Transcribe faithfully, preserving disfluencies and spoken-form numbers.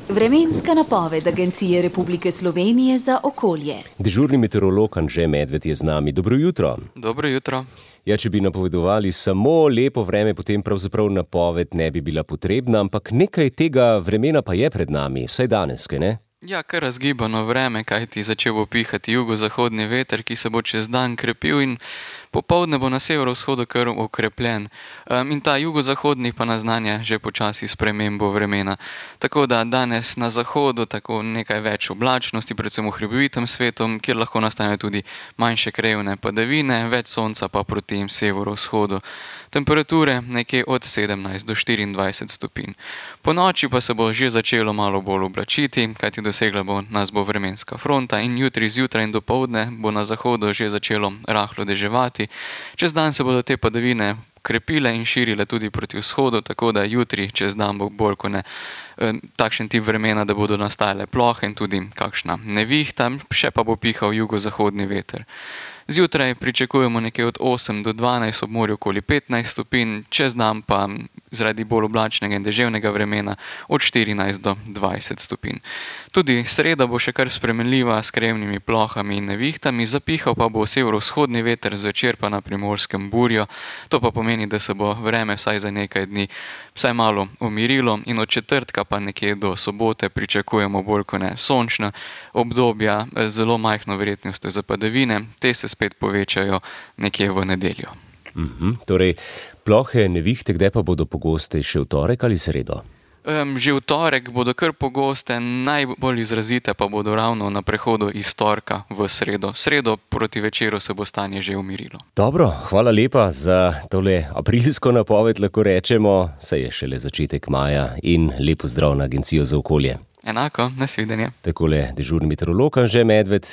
Vremenska napoved Agencije Republike Slovenije za okolje. Dežurni meteorolog Anže Medved je z nami. Dobro jutro. Dobro jutro. Ja, če bi napovedovali samo lepo vreme, potem pravzaprav napoved ne bi bila potrebna, ampak nekaj tega vremena pa je pred nami, vsaj danes, kaj ne? Ja, kar razgibano vreme, kajti začel bo pihati jugozahodni veter, ki se bo čez dan krepil in popoldne bo na severovzhodu kar okrepljen. Um, in ta jugozahodni pa naznanja že počasi spremembo vremena. Tako da danes na zahodu tako nekaj več oblačnosti, predvsem v hribovitem svetu, kjer lahko nastanejo tudi manjše krajevne padavine, več sonca pa proti severovzhodu. Temperature nekje od sedemnajst do štiriindvajset stopinj. Po noči pa se bo že začelo malo bolj oblačiti, kajti dosegla bo nas bo vremenska fronta in jutri zjutraj in dopoldne bo na zahodu že začelo rahlo deževati. Čez dan se bodo te padavine krepile in širile tudi proti vzhodu, tako da jutri čez dan bo bolj kot ne takšen tip vremena, da bodo nastajale plohe in tudi kakšna nevihta, še pa bo pihal jugozahodni veter. Zjutraj pričakujemo nekje od osem do dvanajst, ob morju okoli petnajst stopinj, čez dan pa zaradi bolj oblačnega in deževnega vremena od štirinajst do dvajset stopinj. Tudi sreda bo še kar spremenljiva s krajevnimi plohami in nevihtami, zapihal pa bo severovzhodni veter, zvečer pa na Primorskem burjo. To pa pomeni, da se bo vreme vsaj za nekaj dni vsaj malo umirilo in od četrtka pa nekje do sobote pričakujemo bolj kot ne sončna obdobja z zelo majhno verjetnostjo za padavine. Te se spet povečajo nekje v nedeljo. Mhm, torej, plohe nevihte, kdaj pa bodo pogostejše, v torek ali sredo? Um, že v torek bodo kar pogoste, najbolj izrazite pa bodo ravno na prehodu iz torka v sredo. V sredo proti večeru se bo stanje že umirilo. Dobro, hvala lepa za tole aprilsko napoved, lahko rečemo, saj je šele začetek maja in lep pozdrav na Agencijo za okolje. Enako, nasvidenje. Takole dežurni meteorolog Anže Medved.